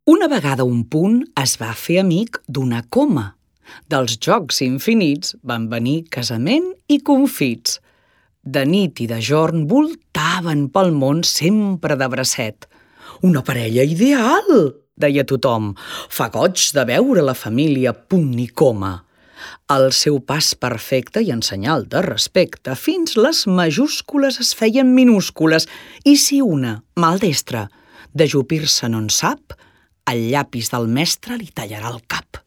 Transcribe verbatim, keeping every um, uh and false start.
Una vegada un punt es va fer amic d'una coma. Dels jocs infinits van venir casament i confits. De nit i de jorn voltaven pel món sempre de bracet. «Una parella ideal!», deia tothom. «Fa goig de veure la família Punt i Coma». El seu pas perfecte i en senyal de respecte, fins les majúscules es feien minúscules, i si una, maldestra, d'ajupir-se no en sap, el llapis del mestre li tallarà el cap.